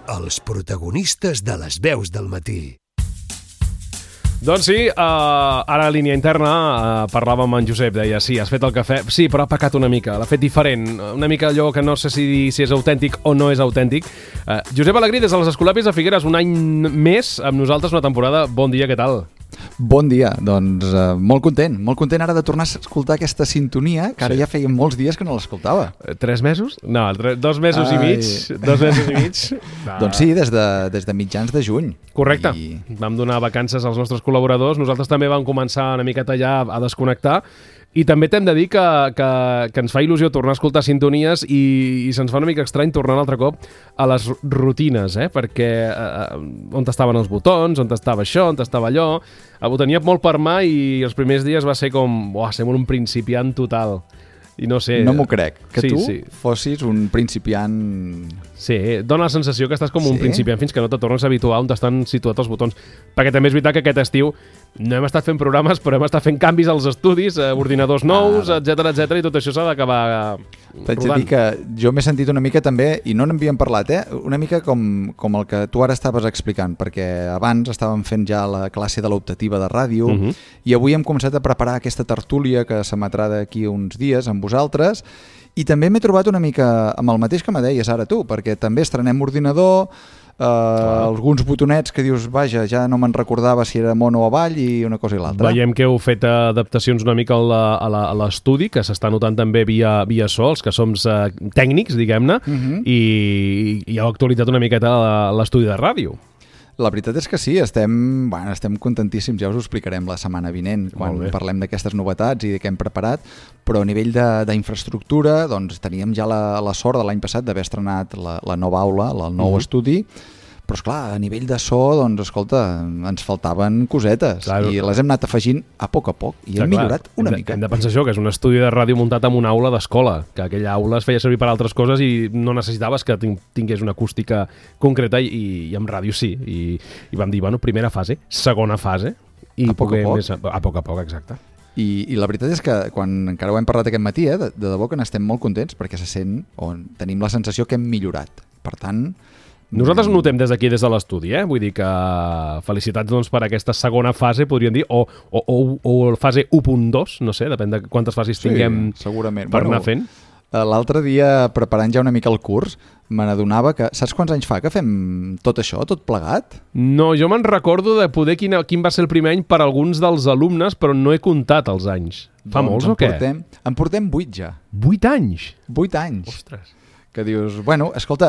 els protagonistes de les veus del matí. Doncs sí, ara a línia interna parlàvem amb en Josep, deia, sí, has fet el cafè, sí, però ha pecat una mica, l'ha fet diferent, una mica allò que no sé si és autèntic o no és autèntic. Josep Alegrí, des de les Escolapis de Figueres, un any més amb nosaltres, una temporada. Bon dia, què tal? Bon dia, doncs molt content ara de tornar a escoltar aquesta sintonia, que ara ja feia molts dies que no l'escoltava. 3 mesos? No, 2 mesos i mig. 2 mesos i mig. Doncs sí, des de mitjans de juny. Correcte. Vam donar vacances als nostres col·laboradors, nosaltres també vam començar una miqueta ja a desconnectar, i també t'hem de dir que ens fa il·lusió tornar a escoltar sintonies i se'ns fa una mica estrany tornar un altre cop a les rutines, perquè on estaven els botons, on estava això, on estava allò, ho tenia molt per mà i els primers dies va ser com, sembla un principiant total. I no sé... No m'ho crec, que sí, tu sí. fossis un principiant... Sí, dona la sensació que estàs com un principiant fins que no te tornes a habituar on estan situats els botons. Perquè també és veritat que aquest estiu no hem estat fent programes, però hem estat fent canvis als estudis, ordinadors nous, etc, i tot això s'ha d'acabar rodant. T'haig de dir que jo m'he sentit una mica també, i no n'havíem parlat, una mica com el que tu ara estaves explicant, perquè abans estàvem fent ja la classe de l'optativa de ràdio, i avui hem començat a preparar aquesta tertúlia que s'emetrà d'aquí uns dies amb vosaltres, i també m'he trobat una mica amb el mateix que me deies ara tu, perquè també estrenem ordinador, alguns botonets que dius, vaja, ja no me'n recordava si era mono o avall i una cosa i l'altra. Veiem que heu fet adaptacions una mica a l'estudi, que s'està notant també via so, els que som tècnics, diguem-ne, i heu actualitzat una miqueta l'estudi de ràdio. La veritat és que sí, estem contentíssims, ja us ho explicarem la setmana vinent, quan parlem d'aquestes novetats i de què hem preparat, però a nivell d'infraestructura doncs, teníem ja la sort de l'any passat d'haver estrenat la nova aula, el nou estudi, però esclar, a nivell de so, doncs, escolta, ens faltaven cosetes, i les hem anat afegint a poc, i hem millorat una mica. Hem de pensar això, que és un estudi de ràdio muntat en una aula d'escola, que aquella aula es feia servir per altres coses i no necessitaves que tingués una acústica concreta, i amb ràdio sí, i vam dir, bueno, primera fase, segona fase, i a poc a poc, exacte. I la veritat és que quan encara ho hem parlat aquest matí, de debò que n'estem molt contents, perquè se sent, o tenim la sensació que hem millorat. Per tant... Nosaltres notem des d'aquí, des de l'estudi, vull dir que felicitats doncs, per aquesta segona fase, podríem dir, o fase 1.2, no sé, depèn de quantes fases tinguem per anar fent. L'altre dia, preparant ja una mica el curs, me n'adonava que... Saps quants anys fa que fem tot això, tot plegat? No, jo me'n recordo de poder quin va ser el primer any per alguns dels alumnes, però no he comptat els anys. Fa molts o què? En portem 8 ja. 8 anys? 8 anys. Ostres. Que dius, bueno, escolta,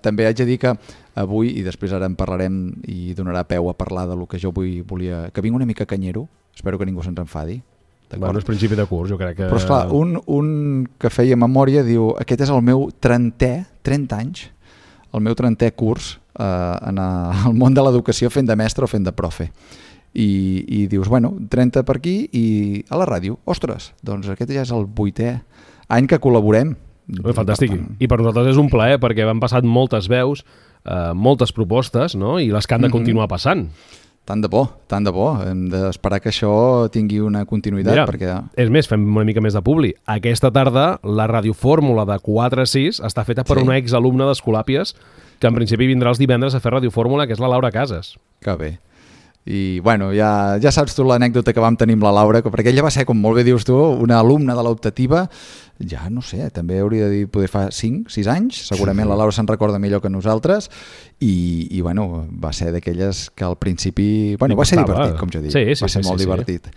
també haig de dir que avui, i després ara en parlarem i donarà peu a parlar de lo que jo volia... Que vinc una mica canyero, espero que ningú se'ns enfadi. Bueno, és principi de curs, jo crec que... Però esclar, un que feia memòria diu, aquest és el meu 30 anys, el meu 30è curs en el món de l'educació fent de mestre o fent de profe. I dius, bueno, 30 per aquí i a la ràdio. Ostres, doncs aquest ja és el 8è any que col·laborem. Fantàstic. I per nosaltres és un plaer perquè van passat moltes veus, moltes propostes, no? I les que han de continuar passant. Tant de bo. Hem d'esperar que això tingui una continuïtat. Mira, perquè... és més, fem una mica més de publi. Aquesta tarda la radiofórmula de 4 a 6 està feta per una exalumna d'Escolàpies que en principi vindrà els divendres a fer radiofórmula, que és la Laura Casas. Que bé. I bueno, ja saps tu l'anècdota que vam tenir amb la Laura, perquè ella va ser, com molt bé dius tu, una alumna de l'optativa, ja no sé, també hauria de dir, poder fa 5-6 anys, segurament la Laura se'n recorda millor que nosaltres, i bueno, va ser d'aquelles que al principi, bueno, va ser divertit, com jo dic, va ser molt divertit.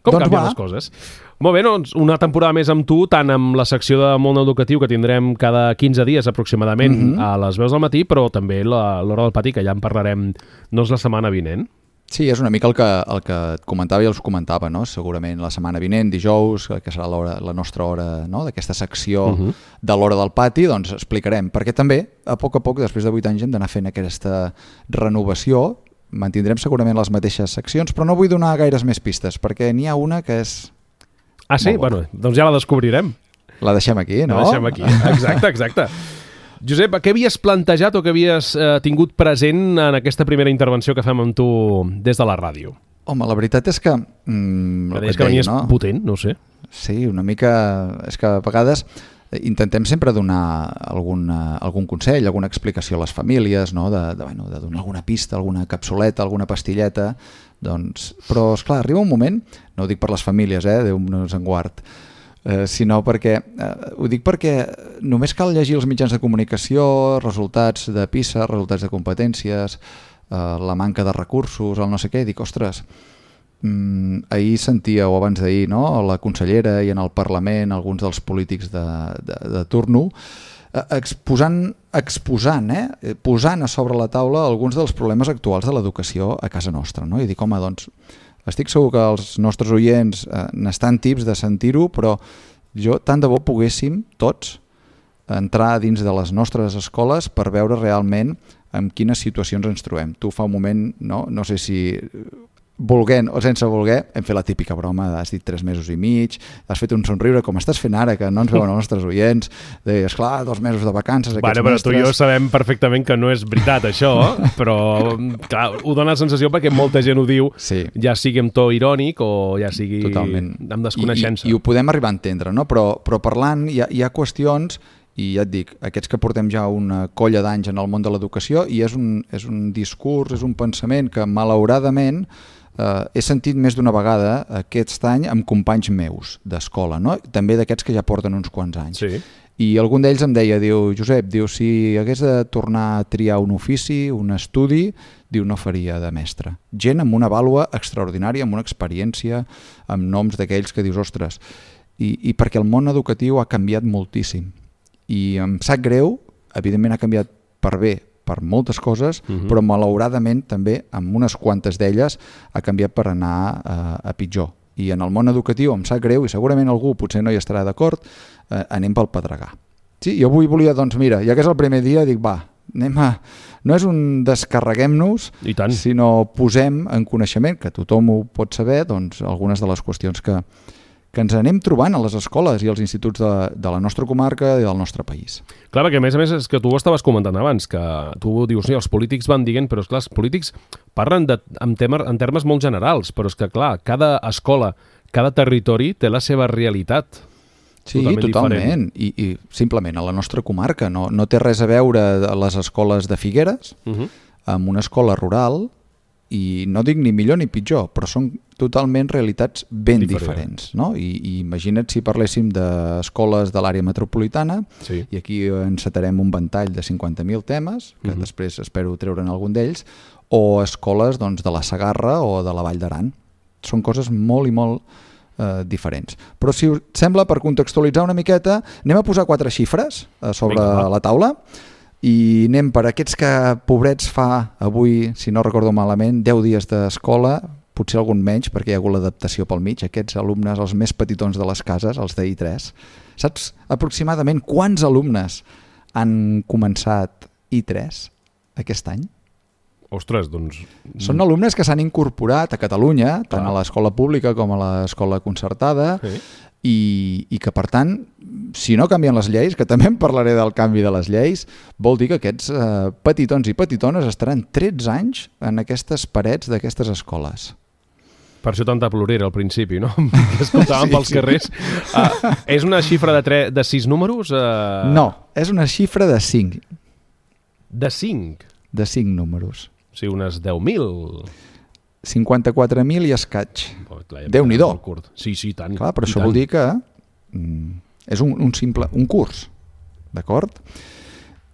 Com canvien les coses. Molt bé, doncs una temporada més amb tu, tant amb la secció de món educatiu que tindrem cada 15 dies aproximadament a les veus del matí, però també l'hora del pati, que ja en parlarem la setmana vinent. Sí, és una mica el que et comentava i els comentava, no? Segurament la setmana vinent, dijous, que serà la nostra hora, no? D'aquesta secció de l'hora del pati, doncs explicarem, perquè també a poc, després de 8 anys hem d'anar fent aquesta renovació, mantindrem segurament les mateixes seccions, però no vull donar gaires més pistes, perquè n'hi ha una que és... Ah, sí? Bueno, doncs ja la descobrirem. La deixem aquí, no? La deixem aquí, exacte. Josep, què havies plantejat o què havies tingut present en aquesta primera intervenció que fem amb tu des de la ràdio? Home, la veritat és que... que venies potent, no sé. Sí, una mica... És que a vegades intentem sempre donar algun consell, alguna explicació a les famílies, no? de donar alguna pista, alguna capsuleta, alguna pastilleta, doncs, però esclar, arriba un moment, no ho dic per les famílies, Déu nos en guard, sinó perquè, ho dic perquè només cal llegir els mitjans de comunicació, resultats de PISA, resultats de competències, la manca de recursos, el no sé què, i dic, ostres, ahir sentia, o abans d'ahir, no? La consellera i en el Parlament alguns dels polítics de turno exposant, posant a sobre la taula alguns dels problemes actuals de l'educació a casa nostra, no? I dic, home, doncs estic segur que els nostres oients n'estan tips de sentir-ho, però jo tant de bo poguéssim tots entrar dins de les nostres escoles per veure realment en quines situacions ens trobem. Tu fa un moment, no sé si volent o sense voler, hem fet la típica broma, has dit 3 mesos i mig, has fet un somriure com estàs fent ara, que no ens veuen els nostres oients, esclar, 2 mesos de vacances, aquests però mestres... tu i jo sabem perfectament que no és veritat això, però clar, ho dona la sensació perquè molta gent ho diu, sí. Ja sigui amb to irònic o ja sigui totalment. Amb desconeixença. I ho podem arribar a entendre, no? Però parlant hi ha qüestions, i ja et dic, aquests que portem ja una colla d'anys en el món de l'educació, i és un discurs, és un pensament que malauradament he sentit més d'una vegada aquest any amb companys meus d'escola, no? També d'aquests que ja porten uns quants anys. Sí. I algun d'ells em deia, Josep, si hagués de tornar a triar un ofici, un estudi, no faria de mestre. Gent amb una vàlua extraordinària, amb una experiència, amb noms d'aquells que dius, ostres, i perquè el món educatiu ha canviat moltíssim. I em sap greu, evidentment ha canviat per bé, per moltes coses, però malauradament també amb unes quantes d'elles ha canviat per anar a pitjor. I en el món educatiu em sap greu, i segurament algú potser no hi estarà d'acord, anem pel pedregar. Sí, jo avui volia, doncs mira, ja que és el primer dia, dic va, no és un descarreguem-nos, sinó posem en coneixement, que tothom ho pot saber, doncs algunes de les qüestions que ens anem trobant a les escoles i als instituts de la nostra comarca i del nostre país. Clar, perquè a més és que tu ho estaves comentant abans, que tu dius, els polítics van dient, però esclar, els polítics parlen en termes molt generals, però és que clar, cada escola, cada territori té la seva realitat. Sí, totalment. I simplement a la nostra comarca no té res a veure les escoles de Figueres amb una escola rural, i no dic ni millor ni pitjor, però són totalment realitats ben diferents, no? I imagina't si parléssim d'escoles de l'àrea metropolitana, sí. I aquí encetarem un ventall de 50.000 temes, que després espero treure'n algun d'ells, o escoles doncs, de la Segarra o de la Vall d'Aran. Són coses molt i molt diferents. Però si us sembla, per contextualitzar una miqueta, anem a posar 4 xifres sobre la taula, i anem per aquests que, pobrets, fa avui, si no recordo malament, 10 dies d'escola, potser algun menys, perquè hi ha hagut l'adaptació pel mig, aquests alumnes, els més petitons de les cases, els d'I3. Saps aproximadament quants alumnes han començat I3 aquest any? Ostres, doncs... Són alumnes que s'han incorporat a Catalunya, tant a l'escola pública com a l'escola concertada, i que, per tant, si no canvien les lleis, que també en parlaré del canvi de les lleis, vol dir que aquests petitons i petitones estaran 13 anys en aquestes parets d'aquestes escoles. Per això tanta plorera al principi, no? Que escoltàvem pels carrers. És una xifra de 6 números? No, és una xifra de 5. De 5? De 5 números. O sigui, unes 10.000... 54.000 i escaig. Déu-n'hi-do. Sí, tant. Clar, però això vol dir que és un curs, d'acord?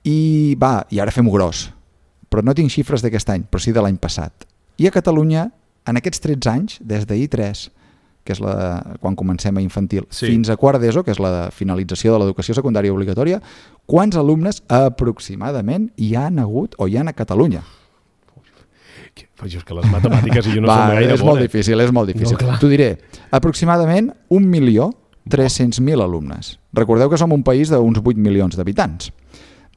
I ara fem-ho gros. Però no tinc xifres d'aquest any, però sí de l'any passat. I a Catalunya, en aquests 13 anys, des d'I3, que és quan comencem a infantil, fins a quart d'ESO, que és la finalització de l'educació secundària obligatòria, quants alumnes aproximadament hi han hagut o hi ha a Catalunya? Però és que les matemàtiques i jo no som gaire és molt difícil. No, t'ho diré, aproximadament 1.300.000 alumnes. Recordeu que som un país d'uns 8 milions d'habitants.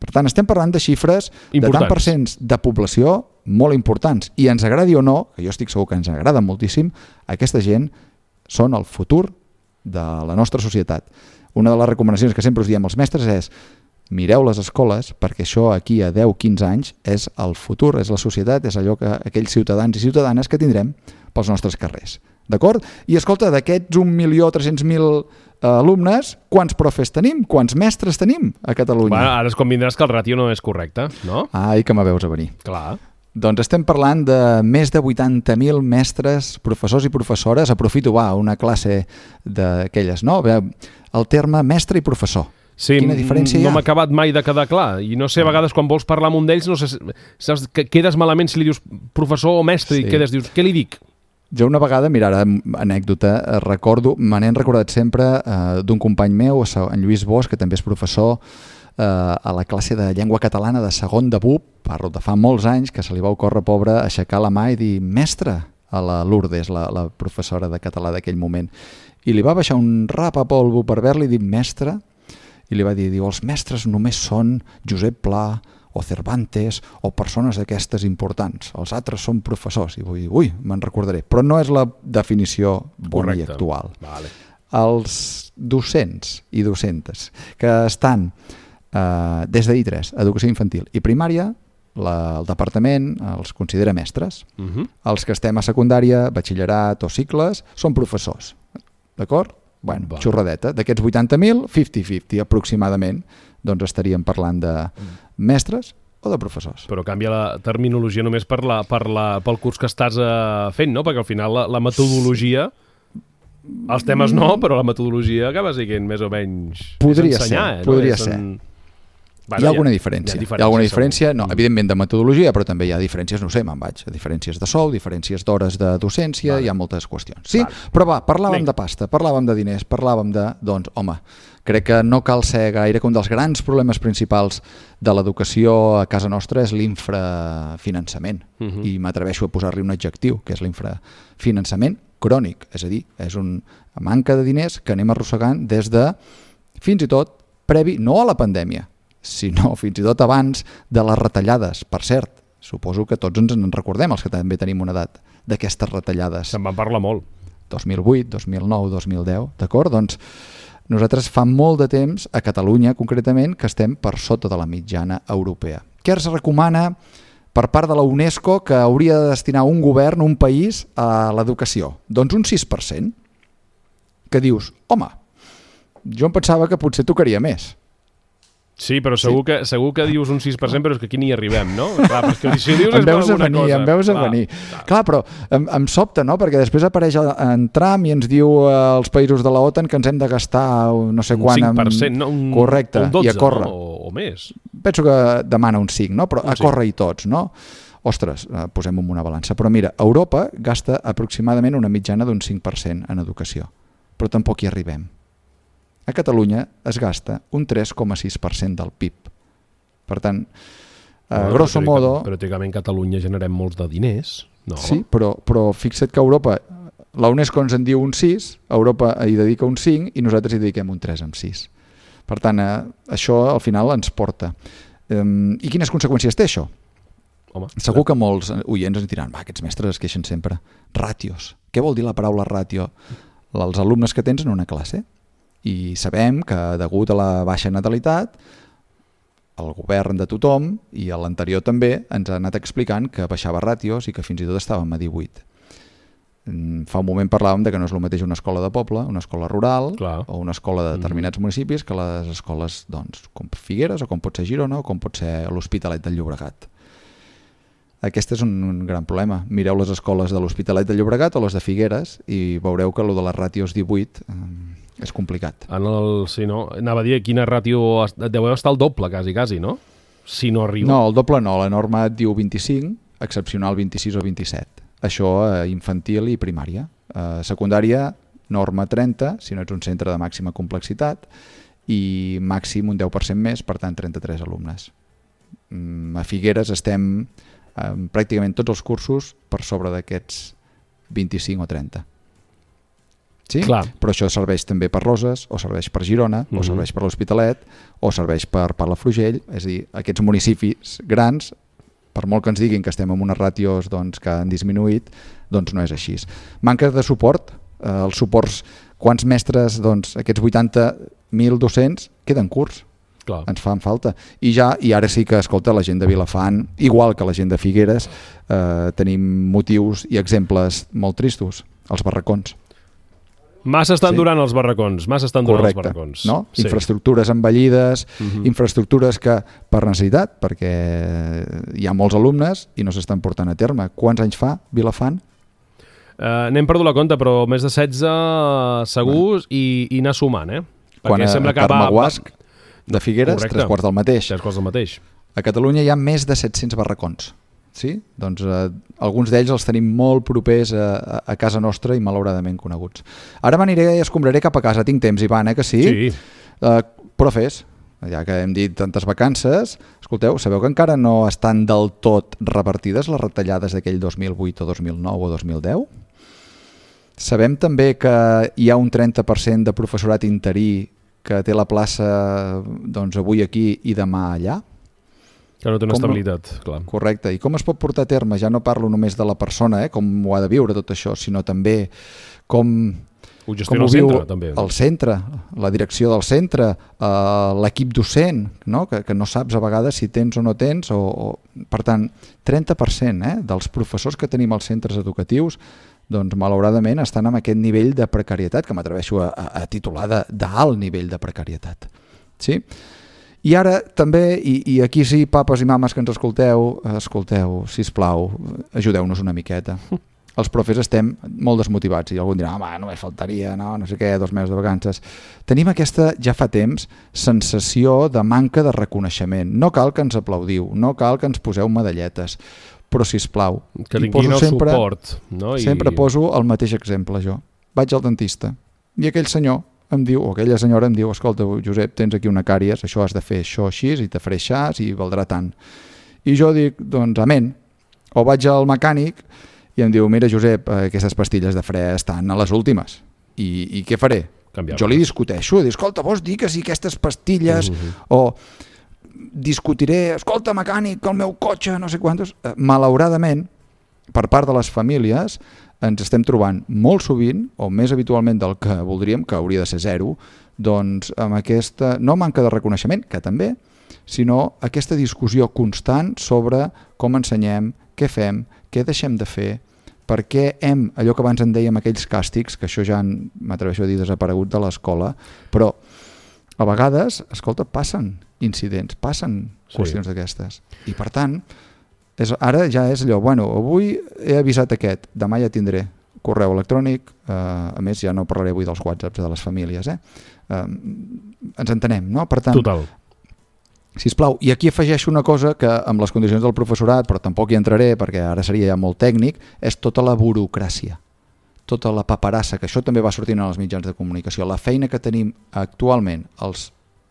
Per tant, estem parlant de xifres de tant percents de població molt importants. I ens agradi o no, que jo estic segur que ens agrada moltíssim, aquesta gent són el futur de la nostra societat. Una de les recomanacions que sempre us diem als mestres és: mireu les escoles, perquè això aquí a 10-15 anys és el futur, és la societat, és allò que aquells ciutadans i ciutadanes que tindrem pels nostres carrers. d'acord? I escolta, d'aquests 1.300.000 alumnes, quants profes tenim? Quants mestres tenim a Catalunya? Bueno, ara es convindràs que el ràtio no és correcte, no? Ai, que me veus a venir. Clar. Doncs estem parlant de més de 80.000 mestres, professors i professores. Aprofito, una classe d'aquelles, no? El terme mestre i professor. Sí, quina diferència hi ha? No m'ha acabat mai de quedar clar. I no sé, a vegades quan vols parlar amb un d'ells, no sé, saps, que quedes malament si li dius professor o mestre, i dius, què li dic? Jo una vegada, mira, ara anècdota, recordo, me n'he recordat sempre d'un company meu, en Lluís Bosch, que també és professor, a la classe de llengua catalana de segon de BUP, parlo de fa molts anys, que se li va ocórrer, pobre, aixecar la mà i dir mestre a la Lourdes, la professora de català d'aquell moment. I li va baixar un rap a polvo per haver-li dit mestre, i li va dir, els mestres només són Josep Pla o Cervantes o persones d'aquestes importants. Els altres són professors. I vull dir, me'n recordaré. Però no és la definició bona i actual. Vale. Els docents i docentes que estan des de I3, educació infantil i primària, el departament els considera mestres. Els que estem a secundària, batxillerat o cicles, són professors. D'acord? Bueno, xorradeta. D'aquests 80.000, 50-50 aproximadament, doncs estaríem parlant de mestres o de professors. Però canvia la terminologia només pel curs que estàs fent, no? Perquè al final la metodologia, els temes no, però la metodologia acaba sent més o menys ensenyar. Podria ser. Hi ha alguna diferència. Hi ha alguna diferència, no, evidentment de metodologia, però també hi ha diferències, no sé, me'n vaig, diferències de sou, diferències d'hores de docència, hi ha moltes qüestions. Sí, però parlàvem de pasta, parlàvem de diners, parlàvem de, doncs, home, crec que no cal ser gaire que un dels grans problemes principals de l'educació a casa nostra és l'infrafinançament, i m'atreveixo a posar-li un adjectiu, que és l'infrafinançament crònic, és a dir, és una manca de diners que anem arrossegant des de, fins i tot, previ, no a la pandèmia, sinó fins i tot abans de les retallades. Per cert, suposo que tots ens en recordem, els que també tenim una edat, d'aquestes retallades. Se'n van parlar molt. 2008, 2009, 2010, d'acord? Doncs nosaltres fa molt de temps, a Catalunya concretament, que estem per sota de la mitjana europea. Què es recomana per part de la UNESCO que hauria de destinar un govern, un país, a l'educació? Doncs un 6%. Que dius, home, jo em pensava que potser tocaria més. Sí, però segur que dius un 6%, però és que aquí ni arribem, no? Clar, però és que si dius és alguna cosa. Em veus a venir. Clar, però em sobta, no? Perquè després apareix en Trump i ens diu als països de la OTAN que ens hem de gastar no sé quan... Un 5%, no? Correcte, un 12, i a córrer. No? O més. Penso que demana un 5, no? Però a córrer-hi tots, no? Ostres, posem en una balança. Però mira, Europa gasta aproximadament una mitjana d'un 5% en educació, però tampoc hi arribem. A Catalunya es gasta un 3,6% del PIB. Per tant, grosso modo... Però teòricament a Catalunya generem molts de diners, no? Sí, però fixa't que Europa, la UNESCO ens en diu un 6, Europa hi dedica un 5 i nosaltres hi dediquem un 3,6. Per tant, això al final ens porta. I quines conseqüències té això? Home, segur que molts oients ens diran, aquests mestres es queixen sempre. Ràtios. Què vol dir la paraula ràtio? Els alumnes que tens en una classe. I sabem que degut a la baixa natalitat el govern de tothom i l'anterior també ens ha anat explicant que baixava ràtios i que fins i tot estàvem a 18. Fa un moment parlàvem de que no és el mateix una escola de poble, una escola rural o una escola de determinats municipis que les escoles doncs, com Figueres o com pot ser Girona o com pot ser l'Hospitalet del Llobregat. Aquest és un gran problema. Mireu les escoles de l'Hospitalet del Llobregat o les de Figueres i veureu que el de les ràtios 18 és complicat. Sí, no? Anava a dir quina ràtio deu estar el doble, quasi, no? Si no arriba. No, el doble no. La norma et diu 25, excepcional 26 o 27. Això infantil i primària. Secundària, norma 30, si no ets un centre de màxima complexitat, i màxim un 10% més, per tant 33 alumnes. A Figueres estem pràcticament tots els cursos per sobre d'aquests 25 o 30. Sí? Clar. Però això serveix també per Roses, o serveix per Girona, o serveix per l'Hospitalet, o serveix per Palafrugell, és a dir, aquests municipis grans, per molt que ens diguin que estem en unes ràtios doncs, que han disminuït, doncs no és així. Manca de suport, els suports, quants mestres, doncs, aquests 80.000 docents queden curts. Clar. Ens fan falta. I ara sí que, escolta, la gent de Vilafant, igual que la gent de Figueres, tenim motius i exemples molt tristos. els barracons. Massa estan durant els barracons, Correcte, no? Sí. Infraestructures envellides, infraestructures que per necessitat, perquè hi ha molts alumnes i no s'estan portant a terme. Quants anys fa, Vilafant? N'hem perdut la compte, però més de 16 segurs i anar sumant, Perquè sembla que Carme de Figueres, correcte. 3 quarts del mateix. 3 quarts del mateix. A Catalunya hi ha més de 700 barracons. Sí? Doncs alguns d'ells els tenim molt propers a casa nostra i malauradament coneguts. Ara m'aniré i escombraré cap a casa. Tinc temps, Ivan, que sí? Sí. Profes, ja que hem dit tantes vacances, escolteu, sabeu que encara no estan del tot repartides les retallades d'aquell 2008 o 2009 o 2010? Sabem també que hi ha un 30% de professorat interí que té la plaça doncs, avui aquí i demà allà? Que no té una estabilitat, clar. Correcte. I com es pot portar a terme? Ja no parlo només de la persona, com ho ha de viure tot això, sinó també com ho gestiona el centre, també. El centre, la direcció del centre, l'equip docent, no? Que no saps a vegades si tens o no tens. Per tant, 30% dels professors que tenim als centres educatius doncs malauradament estan en aquest nivell de precarietat, que m'atreveixo a titular d'alt nivell de precarietat. Sí? I ara també, i aquí sí, papes i mames que ens escolteu, sisplau, ajudeu-nos una miqueta. Els profes estem molt desmotivats i algú dirà, només faltaria, no sé què, 2 mesos de vacances. Tenim aquesta, ja fa temps, sensació de manca de reconeixement. No cal que ens aplaudiu, no cal que ens poseu medalletes, però sisplau. Que tinguin el suport. No? Sempre poso el mateix exemple, jo. Vaig al dentista i aquell senyor em diu, o aquella senyora em diu, escolta, Josep, tens aquí una càries, això has de fer això així, i te faré això i valdrà tant. I jo dic, doncs, amén. O vaig al mecànic i em diu, mira, Josep, aquestes pastilles de fre estan a les últimes. I què faré? Jo li discuteixo, dic, escolta, vols dir que si aquestes pastilles, o discutiré, escolta, mecànic, el meu cotxe, no sé quantos. Malauradament, per part de les famílies, ens estem trobant molt sovint, o més habitualment del que voldríem, que hauria de ser 0, doncs amb aquesta, no manca de reconeixement, que també, sinó aquesta discussió constant sobre com ensenyem, què fem, què deixem de fer, per què allò que abans en dèiem aquells càstigs, que això ja m'atreveixo a dir desaparegut de l'escola, però a vegades, escolta, passen incidents, passen qüestions d'aquestes. I per tant, ara ja és allò, avui he avisat aquest, demà ja tindré correu electrònic, a més ja no parlaré avui dels whatsapps de les famílies, ens entenem, no? Per tant, total. Sisplau, i aquí afegeixo una cosa que amb les condicions del professorat, però tampoc hi entraré perquè ara seria ja molt tècnic, és tota la burocràcia, tota la paperassa, que això també va sortint en els mitjans de comunicació, la feina que tenim actualment els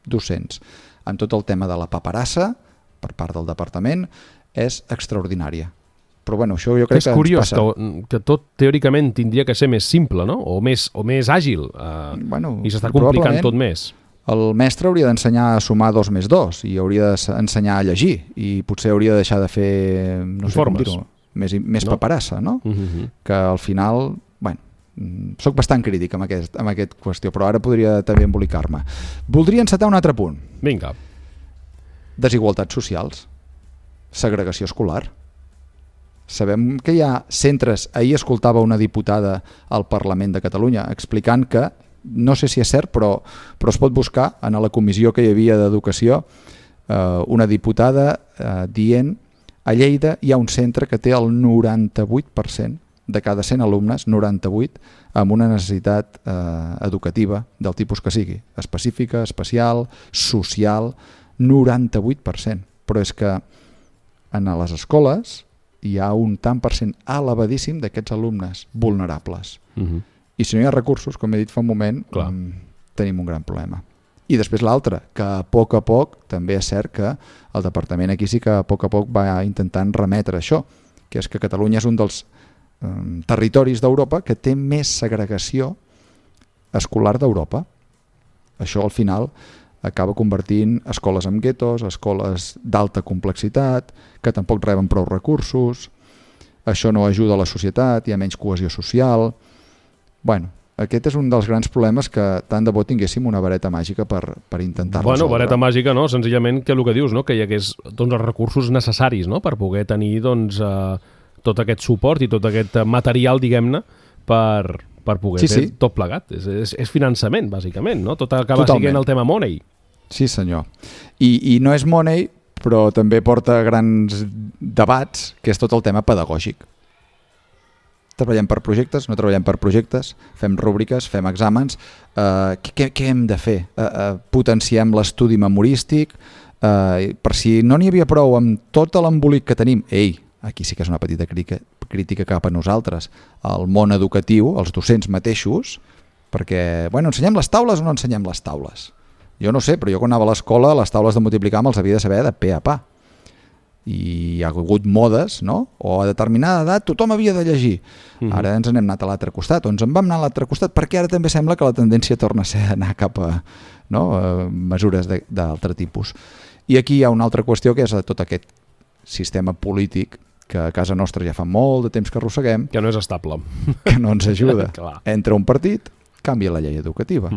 docents amb tot el tema de la paperassa per part del departament és extraordinària. Però això jo crec que ens passa. És curiós que tot teòricament tindria que ser més simple, no? O més àgil, i s'està complicant tot més. El mestre hauria d'ensenyar a sumar 2 més 2 i hauria d'ensenyar a llegir i potser hauria de deixar de fer, no sé com dir-ho, més paperassa, no? Que al final, soc bastant crític amb aquest qüestió, però ara podria també embolicar-me. Voldria encetar un altre punt. Vinga. Desigualtats socials. Segregació escolar. Sabem que hi ha centres, ahir escoltava una diputada al Parlament de Catalunya explicant que, no sé si és cert, però es pot buscar en la comissió que hi havia d'educació, una diputada dient a Lleida hi ha un centre que té el 98% de cada 100 alumnes, 98, amb una necessitat educativa del tipus que sigui, específica, especial, social, 98%. Però és que en les escoles hi ha un tant per cent elevadíssim d'aquests alumnes vulnerables. I si no hi ha recursos, com he dit fa un moment, tenim un gran problema. I després l'altre, que a poc també és cert que el departament aquí sí que a poc va intentant remetre això, que és que Catalunya és un dels territoris d'Europa que té més segregació escolar d'Europa. Això al final acaba convertint escoles en guetos, escoles d'alta complexitat, que tampoc reben prou recursos, això no ajuda a la societat, hi ha menys cohesió social. Aquest és un dels grans problemes que tant de bo tinguéssim una vareta màgica per intentar resoldre. Vareta màgica no, senzillament que el que dius, no? Que hi hagués els recursos necessaris, no? Per poder tenir tot aquest suport i tot aquest material, diguem-ne, per poder fer tot plegat. És finançament, bàsicament, no? Tot acaba sent el tema money. Sí, senyor. I no és money, però també porta grans debats, que és tot el tema pedagògic. Treballem per projectes, no treballem per projectes, fem rúbriques, fem exàmens. Què hem de fer? Potenciem l'estudi memorístic, per si no n'hi havia prou amb tot l'embolic que tenim. Aquí sí que és una petita crítica cap a nosaltres, el món educatiu, els docents mateixos, perquè, ensenyem les taules o no ensenyem les taules? Jo no sé, però jo quan anava a l'escola les taules de multiplicar me'ls havia de saber de pe a pa. I hi ha hagut modes, no? O a determinada edat tothom havia de llegir. Ara ens n'hem anat a l'altre costat, o ens en vam anar a l'altre costat, perquè ara també sembla que la tendència torna a ser anar cap a mesures d'altre tipus. I aquí hi ha una altra qüestió, que és tot aquest sistema polític que a casa nostra ja fa molt de temps que arrosseguem. Que no és estable. Que no ens ajuda. Entra un partit, canvia la llei educativa.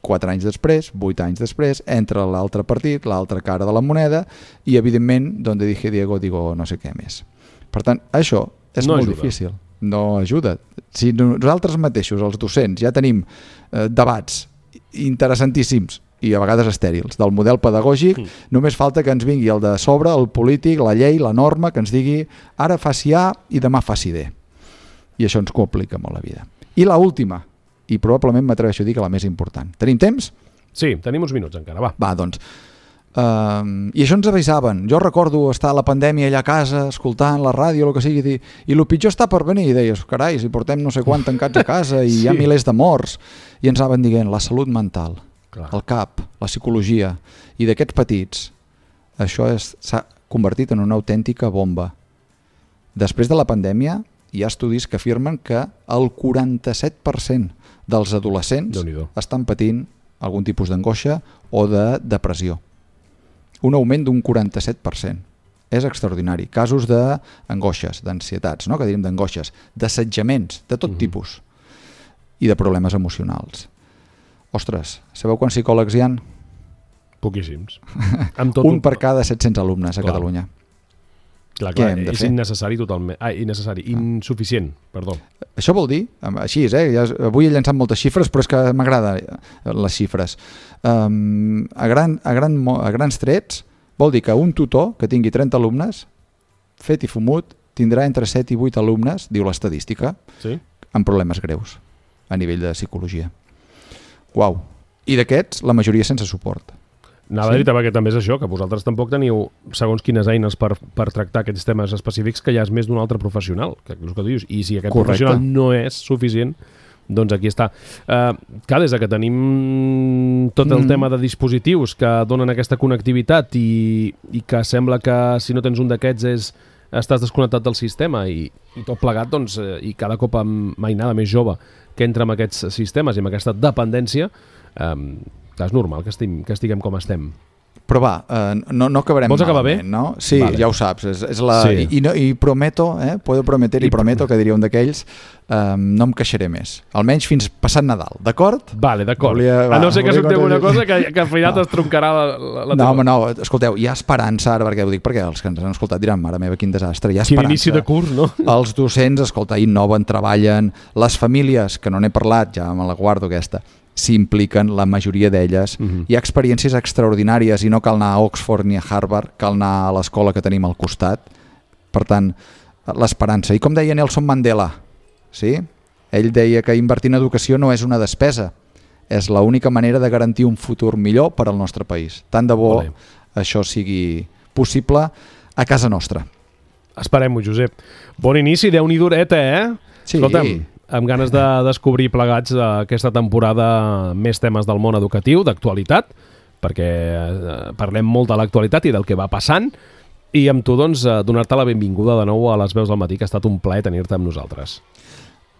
4 anys després, 8 anys després, entra l'altre partit, l'altra cara de la moneda, i evidentment, donde dije Diego, digo no sé què més. Per tant, això és molt difícil. No ajuda. Si nosaltres mateixos, els docents, ja tenim debats interessantíssims i a vegades estèrils del model pedagògic, només falta que ens vingui el de sobre, el polític, la llei, la norma, que ens digui ara faci A i demà faci D. I això ens complica molt la vida. I l'última, i probablement m'atreveixo a dir que la més important. Tenim temps? Sí, tenim uns minuts encara, va. Va, doncs. I això ens avisaven. Jo recordo estar a la pandèmia allà a casa, escoltant la ràdio, el que sigui, i el pitjor està per venir. I deies, carai, si portem no sé quant tancats a casa i hi ha milers de morts. I ens anaven dient la salut mental, el cap, la psicologia. I d'aquests petits, això s'ha convertit en una autèntica bomba. Després de la pandèmia, hi ha estudis que afirmen que el 47% dels adolescents estan patint algun tipus d'angoixa o de depressió. Un augment d'un 47%. És extraordinari. Casos d'angoixes, d'ansietats, no? Que diríem d'angoixes, d'assetjaments, de tot tipus, i de problemes emocionals. Ostres, sabeu quants psicòlegs hi ha? Poquíssims. Un per cada 700 alumnes a Catalunya. Clar, és innecessari totalment. Insuficient, perdó. Això vol dir, així és, avui he llançat moltes xifres, però és que m'agrada les xifres. A grans trets, vol dir que un tutor que tingui 30 alumnes, fet i fumut, tindrà entre 7 i 8 alumnes, diu l'estadística, amb problemes greus a nivell de psicologia. Uau! I d'aquests, la majoria sense suport. Anava a dir que també és això, que vosaltres tampoc teniu segons quines eines per tractar aquests temes específics, que ja és més d'un altre professional, que és el que tu dius. I si aquest professional no és suficient, doncs aquí està. Clar, des que tenim tot el tema de dispositius que donen aquesta connectivitat i que sembla que si no tens un d'aquests estàs desconnectat del sistema i tot plegat, doncs, i cada cop amb mainada més jove que entra en aquests sistemes i amb aquesta dependència, és normal que estiguem com estem. Però va, no acabarem. Vols acabar bé? No? Sí, vale. Ja ho saps. I prometo, puedo prometer i prometo, que diria un d'aquells, no em queixaré més. Almenys fins passat Nadal, d'acord? Vale, d'acord. A no ser que sorteu una cosa que al final t'estroncarà la teva... No, escolteu, hi ha esperança ara, perquè ho dic perquè els que ens han escoltat diran, mare meva, quin desastre, hi ha esperança. Quin inici de curs, no? Els docents, escolta, innoven, treballen, les famílies, que no n'he parlat, ja me la guardo aquesta, s'impliquen, la majoria d'elles. Hi ha experiències extraordinàries i no cal anar a Oxford ni a Harvard, cal anar a l'escola que tenim al costat. Per tant, l'esperança. I com deia Nelson Mandela, sí? Ell deia que invertir en educació no és una despesa, és l'única manera de garantir un futur millor per al nostre país. Tant de bo això sigui possible a casa nostra. Esperem-ho, Josep. Bon inici, Déu-n'hi dureta, Sí. Escolta'm, amb ganes de descobrir plegats aquesta temporada més temes del món educatiu, d'actualitat, perquè parlem molt de l'actualitat i del que va passant, i amb tu, doncs, donar-te la benvinguda de nou a les Veus del Matí, que ha estat un plaer tenir-te amb nosaltres.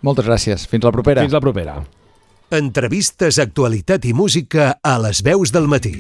Moltes gràcies. Fins la propera. Fins la propera. Entrevistes, actualitat i música a les Veus del Matí.